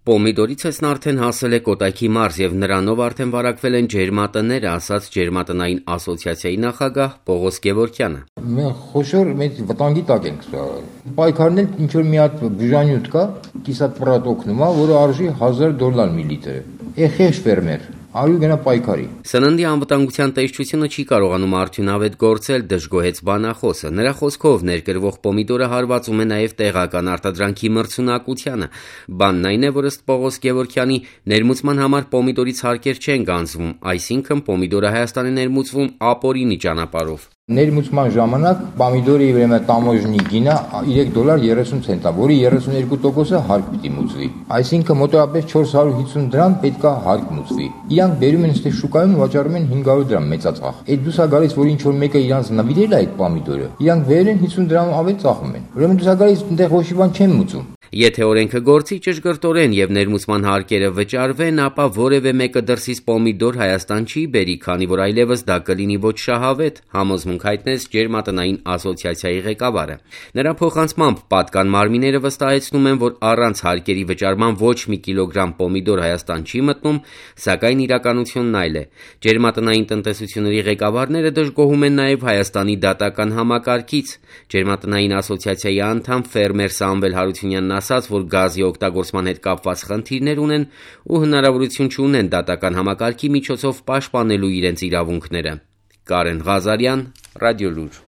Պոմիդորից արդեն հասել է Կոտայքի մարզ եւ նրանով արդեն վարակվել են ջերմատները, ասաց Ջերմատնային ասոցիացիայի նախագահ Պողոս Գևորգյանը։ Մենք խոշոր մեծ վտանգի տակ ենք ստացել։ Պայքարն ինչ որ մի հատ բյուժանյութ կա, կիսապրատ օգնում է, որը արժի $1000 միլիտրը։ Էխեշ ֆերմեր արու գնա պայքարի։ Սննդի անվտանգության տեսչությունը չի կարողանում արդյունավետ գործել, դժգոհեց բանախոսը։ Նրա խոսքով ներկրվող պոմիդորը հարվածում է նաև տեղական արտադրանքի մրցունակությանը։ Բանն այն է, որ ըստ Պողոս Գևորգյանի ներմուծման համար պոմիդորից հարկեր չեն գանձվում, այսինքն պոմիդորը Հայաստանի ներմուծվում ապօրինի ճանապարհով։ Ներմուծման ժամանակ պոմիդորի տամոժնի գինը $3.30 է, որի 32%-ը հարկ պիտի մուծվի։ Այսինքն մոտավորապես $450 պետք է հարկ մուծվի։ Իրանք բերում են այստեղ շուկայում վաճառում են $500 մեծածախ։ Այդ դուսա գալիս, որ ինչ որ մեկը իրանց նվիրել է այդ պոմիդորը, իրանք վերել են $50 ավելի ծախում են։ Ուրեմն դուսա գալիս այնտեղ ոչ մի բան չեն մուծում։ Եթե օրենքը գործի ճշգրտորեն եւ ներմուծման հարկերը վճարվեն, ապա որևէ մեկը դրսից պոմիդոր Հայաստան չի բերի, քանի որ այլևս դա կլինի ոչ շահավետ, համոզմունք հայտնեց Ջերմատնային ասոցիացիայի ղեկավարը։ Նրա փոխանցմամբ պատկան մարմինները վստահեցնում են, որ առանց հարկերի վճարման ոչ մի կիլոգրամ պոմիդոր Հայաստան չի մտնում, սակայն իրականությունն այլ է։ Ջերմատնային տնտեսությունների ղեկավարները դժգոհում են նաեւ Հայաստանի դատական համակարգից։ Ջերմատնային ասոցիացիայի անդամ ֆերմեր Սամվել Հարությունյանն ասաց, որ գազի օգտագործման հետ կապված խնդիրներ ունեն ու հնարավորություն չունեն դատական համակարգի միջոցով պաշտպանելու իրենց իրավունքները։ Կարեն Ղազարյան, Ռադիոլուր։